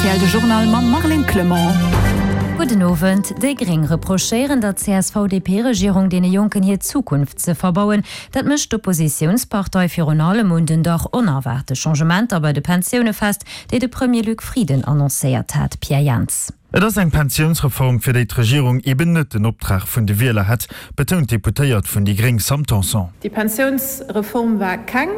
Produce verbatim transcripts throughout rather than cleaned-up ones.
R T L de Journal mam Marlène Clement. Gudden Owend. Déi Gréng reprochéieren der C S V D P-Regierung, deene Jonken hir Zukunft ze verbauen. Dat mécht d'Oppositiounspartei virun allem un den dach onerwaarte Changementer bei de Pensioune fest, déi de Premier Luc Frieden annoncéiert hat. Pierre Jans. Et ass eng Pensiounsreform, fir déi d'Regierung eben net den Optrag vun de Wieler hätt, betount d'Deputéiert vun déi Gréng Sam Tanson. Déi Pensiounsreform war keng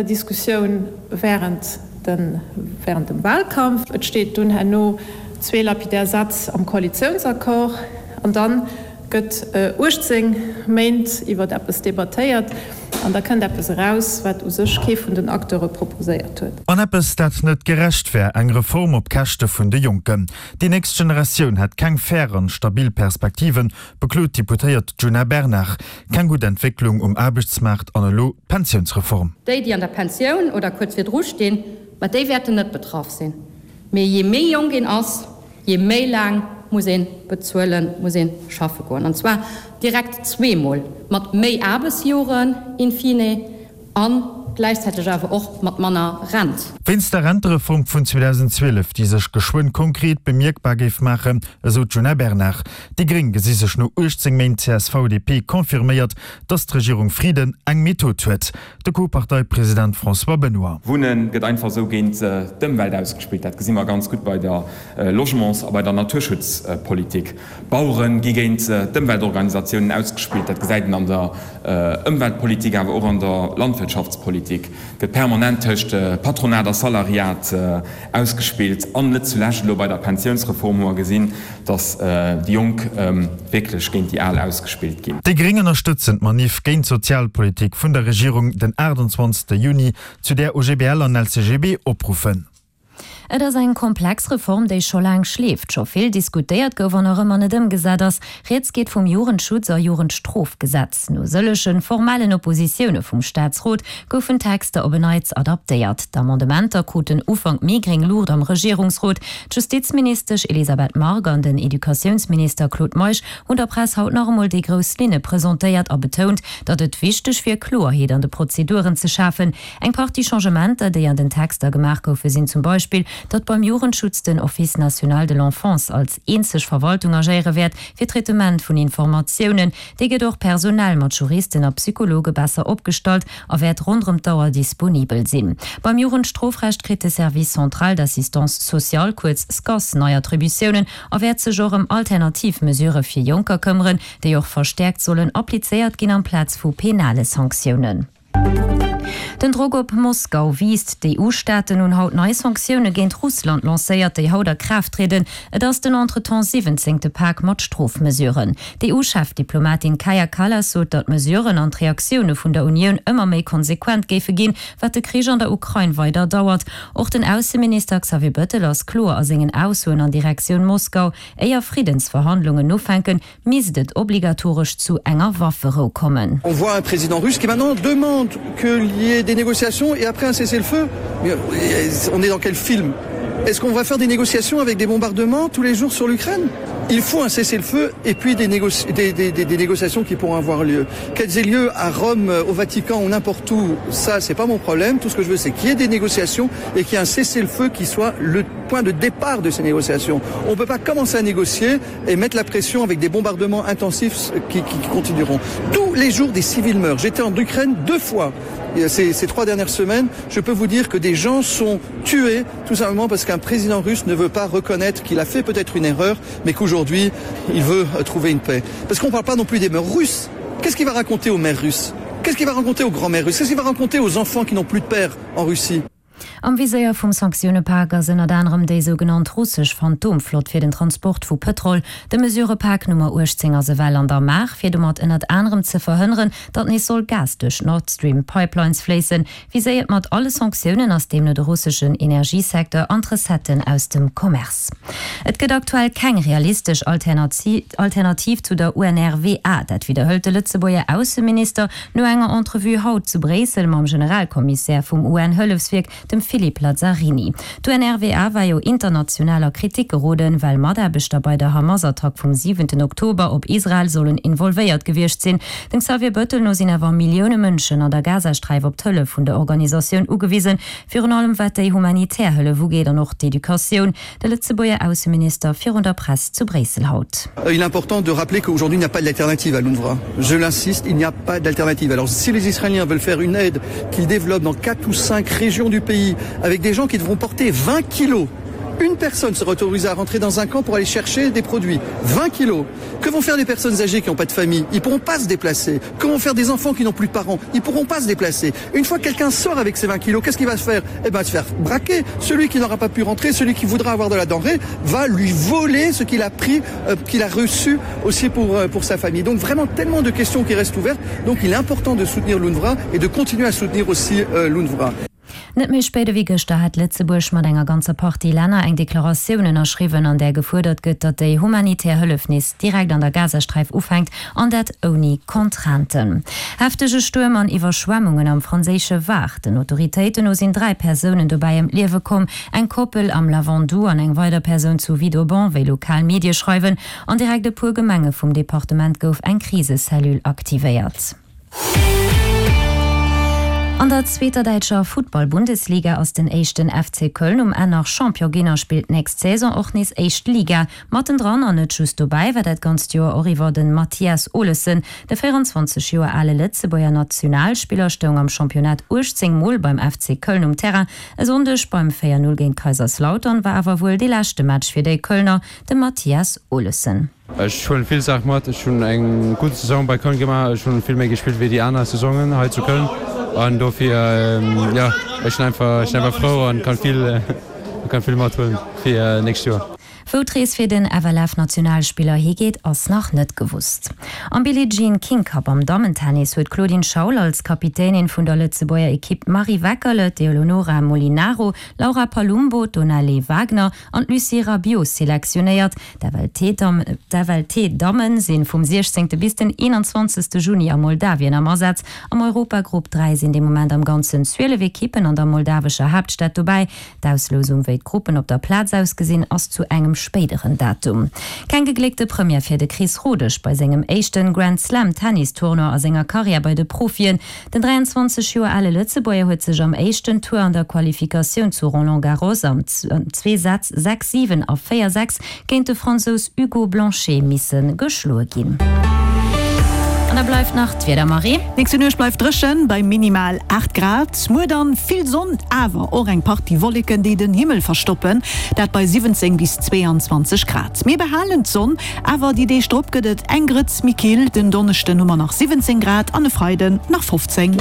Diskussioun während den während dem Wahlkampf. Et steet dunn herno zwee lapidär Sätz am Koalitiounsaccord an dann gëtt uechtzéng Méint iwwert eppes debattéiert an da kënnt eppes eraus, wat u sech kee vun den Acteure proposéiert huet. An eppes, dat net gerecht wär, eng Reform op Käschte vun de Jonken. Déi nächst Generatioun hätt keng fair an stabil Perspektiven, beklot d'Deputéiert Djuna Bernard. Keng gutt Entwécklung um Aarbechtsmaart an elo d'Pensiounsreform. Déi, déi an der Pensioun oder kuerz virdru stinn, ma déi wäerten net betraff sinn. Mee jee méi jonk een ass, jee méi laang muss ee bezuelen, muss ee schaffe goen. An zwar direkt zweemol, mat méi Aarbechtsjoren in fine a gläichzäiteg awer och mat manner Rent. Wéinst der Rentereform vun zweedausendzwielef, déi sech geschwënn konkret bemierkbar géif maachen, esou d'Djuna Bernard. Déi Gréng gesi sech no uechtzéng Méint C S V D P confirméiert, datt d'Regierung Frieden eng Method huet. De Co-Parteipresident François Benoy. Wunne gëtt einfach esou géint d'Ëmwelt ausgespillt. Dat gesi mer ganz gutt bei der Logements a bei der Naturschutzpolitik. D'Bauere gi géint d'Ëmweltorganisatiounen ausgespillt. Dat gesäit een an der Ëmweltpolitik, awer och an der Landwirtschaftspolitik. Gëtt permanent tëscht Patronat a Salariat ausgespillt. An net zulescht elo bei der Pensiounsreform hu mer gesinn, datt déi Jonk wierklech géint déi Al ausgespillt ginn. Déi Gréng ënnerstëtzen d'Manif géint d'Sozialpolitik vun der Regierung den aachtanzwanzegste Juni, zu där O G B L an L C G B opruffen. Et ass eng komplex Reform, déi scho laang schleeft, scho vill diskutéiert gouf an nach ëmmer net ëmgesat ass. Rieds geet vum Jugendschutz a Jugendstrofgesetz. No sëllege formellen Oppositioune vum Staatsrot goufen d'Texter op en Neits adaptéiert. D'Amendementer kruten Ufank Mee gréng Luucht am Regierungsrot. D'Justizministesch Elisabeth Margue an den Educatiounsminister Claude Meisch hunn der Press haut nach emol déi grouss Linne presentéiert a betount, datt et wichteg wier, Kloerheet an de Prozeduren ze schafen. Eng Partie Changementer, déi an den Texter gemaach goufe sinn zum Beispill, datt beim Jugendschutz den Office national de l'enfance als eenzeg Verwaltung agéiere wäert fir Traitement vun Informatiounen. Dee gëtt och personell mat Juristen a Psychologe besser opgestallt a wäert ronderëm d'Auer disponibel sinn. Beim Jugendstrofrecht kritt de Service central d'assistance sociale, kuerz SCAS, nei Attributiounen a wäert sech och ëm alternativ Mesurë fir Jonker këmmeren, déi och verstäerkt sollen applizéiert ginn amplaz vu penale Sanktiounen. Den Drock op Moskau wiisst. D'E U-Staaten hunn haut nei Sanktioune géint Russland lancéiert, déi haut a Kraaft trieden. Et ass den entretemps siwwenzéngte Pak mat Strofmesuren. D'E U-Chefdiplomatin Kaja Kallas sot, datt d'Mesuren an d'Reaktioune vun der Unioun ëmmer méi konsequent géife ginn, wat de Krich an der Ukrain weider dauert. Och den Ausseminister Xavier Bettel ass kloer a sengen Aussoen an Direktioun Moskau, Éier Friddensverhandlungen ufänken, misst et obligatoresch zu enger Wafferou kommen. On voit un président russe qui maintenant demande qu'il y ait des négociations et après un cessez-le-feu. Mais on est dans quel film? Est-ce qu'on va faire des négociations avec des bombardements tous les jours sur l'Ukraine? Il faut un cessez-le-feu et puis des, négoci des, des, des, des négociations qui pourront avoir lieu. Qu'elles aient lieu à Rome, au Vatican ou n'importe où, ça c'est pas mon problème. Tout ce que je veux, c'est qu'il y ait des négociations et qu'il y ait un cessez-le-feu qui soit le point de départ de ces négociations. On ne peut pas commencer à négocier et mettre la pression avec des bombardements intensifs qui, qui, qui continueront. Tous les jours, des civils meurent. J'étais en Ukraine deux fois ces, ces trois dernières semaines. Je peux vous dire que des gens sont tués tout simplement parce qu'un président russe ne veut pas reconnaître qu'il a fait peut-être une erreur, mais qu'aujourd'hui, il veut trouver une paix. Parce qu'on ne parle pas non plus des mères russes. Qu'est-ce qu'il va raconter aux mères russes? Qu'est-ce qu'il va raconter aux grands-mères russes? Qu'est-ce qu'il va raconter aux enfants qui n'ont plus de père en Russie? Am Viséier vum Sanktioune-Pak ass ënnert anerem déi sougenannt russesch Phantomflott fir den Transport vu Pëtrol. De Mesurëpak Nummer uechtzéng ass ewell an der Maach, fir domat ënnert anerem ze verhënneren, datt nees soll Gas duerch d'Nord Stream Pipelines fléissen. Viséiert mat alle Sanktiounen ass deemno de russeschen Energiesecteur an d'Recetten aus dem Commerce. Et gëtt aktuell keng realistesch Alternativ zu der U N R W A. Dat widderhëlt de Lëtzebuerger Ausseminister no enger Entrevue haut zu Bréissel mam Generalkommissär vum U N-Hëllefswierk, dem Philippe Lazzarini. D'UNRWA war jo international a Kritik geroden, well Mataarbechter bei der Hamas-Attack vum siwenten Oktober op Israel sollen involvéiert gewiescht sinn. Dem Xavier Bettel no sinn awer Millioune Mënschen an der Gazasträif op d'Hëllef vun der Organisatioun ugewisen, virun allem wat déi humanitär Hëllef ugeet an och d'Educatioun. De Lëtzebuerger Ausseminister virun der Press zu Bréissel haut. Il est important de rappeler qu'aujourd'hui il n'y a pas d'alternative à l'UNRWA. Je l'insiste, il n'y a pas d'alternative. Alors si les Israéliens veulent faire une aide qu'ils développent dans quatre ou cinq régions du pays avec des gens qui devront porter vingt kilos, une personne sera autorisée à rentrer dans un camp pour aller chercher des produits. vingt kilos. Que vont faire les personnes âgées qui n'ont pas de famille? Ils pourront pas se déplacer. Que vont faire des enfants qui n'ont plus de parents? Ils pourront pas se déplacer. Une fois que quelqu'un sort avec ses vingt kilos, qu'est-ce qu'il va se faire? Eh ben, se faire braquer. Celui qui n'aura pas pu rentrer, celui qui voudra avoir de la denrée, va lui voler ce qu'il a pris, euh, qu'il a reçu aussi pour, euh, pour sa famille. Donc vraiment tellement de questions qui restent ouvertes. Donc il est important de soutenir l'UNRWA et de continuer à soutenir aussi euh, l'UNRWA. Net méi spéit ewéi gëschter hat Lëtzebuerg mat enger ganzer Partie Länner eng Deklaratioun ënnerschriwwen, an där gefuerdert gëtt, datt déi humanitär Hëllef nees direkt an der Gazasträif ufänkt, an dat ouni Contrainten. Heftege Stuerm an Iwwerschwemmungen am franséische Var. Den Autoritéiten no sinn dräi Persounen dobäi ëm d'Liewe komm, eng Koppel am Lavandou an eng weider Persoun zu Vidauban, wéi lokal Medie schreiwen. An direkt e puer Gemenge vum Departement gouf eng Krisecellule aktivéiert. An der zweeter däitscher Futtball-Bundesliga ass den éischten F C Köln um Enn nach Champion ginn a spillt d'nächst Saison och nees éischt Liga. Mattendran an net just dobäi war dat ganzt Joer och iwwer den Mathias Olesen. De véierundzwanzeg Joer ale Lëtzebuerger Nationalspiller stoung am Championnat uechtzéng Mol beim F C Köln um Terrain. E Sonndeg beim véier Null géint Kaiserslautern war awer wuel dee leschte Match fir déi Kölner, de Mathias Olesen. Ech huelen vill Saache mat. Ech hunn eng gutt Saison bei Köln gemaach. Ech hunn vill méi gespillt wéi déi aner Saisonen hei zu Köln. An dofir, ja, ech sinn einfach, ech sinn einfach frou an kann vill, kann vill mathuelen fir nächst Joer. Wou d'Rees fir den F L F-Nationalspiller higeet, ass nach net gewosst. Am Billie Jean King Cup am Dammentennis huet d'Claudine Schaul als Kapitänin vun der Lëtzebuerger Ekipp d'Marie Weckerle, d'Eleonora Molinaro, Laura Palumbo, d'Onale Wagner an d'Lucie Rabiot selektionéiert. D'F L T-Damm, d'F L T-Dammen sinn vum siechzéngte bis den eenanzwanzegste Juni a Moldawien am Asaz. Am Europagrupp dräi sinn de Moment am Ganzen zwielef Ekippen an der moldawescher Haaptstad dobäi. D'Auslosung, wéi d'Gruppen op der Plaz ausgesinn, ass zu engem spéideren Datum. Keng gegléckte Première fir de Chris Rodesch bei sengem éischten Grand Slam Tennis-Tournoi a senger Karriär bei de Profien. Den dräianzwanzeg Joer ale Lëtzebuerger huet sech am éischten Tour an der Qualifikatioun zu Roland Garros am zwee Sätz sechs siwen a véier sechs géint de Fransous Hugo Blanchet misse geschloe ginn. An da bleift nach d'Wieder, Marie. Nächste Nuecht bleift dréchen bei minimal aacht Grad. Muer dann vill Sonn, awer och eng Partie Wolleken, déi den Himmel verstoppen. Dat bei siwwenzéng bis zweeanzwanzeg Grad. Mir behalen d'Sonn, awer déi Deeg drop gëtt et eng Grëtz méi kill. Den Donneschden hu mer nach siwwenzéng Grad an e Freiden nach fofzéng.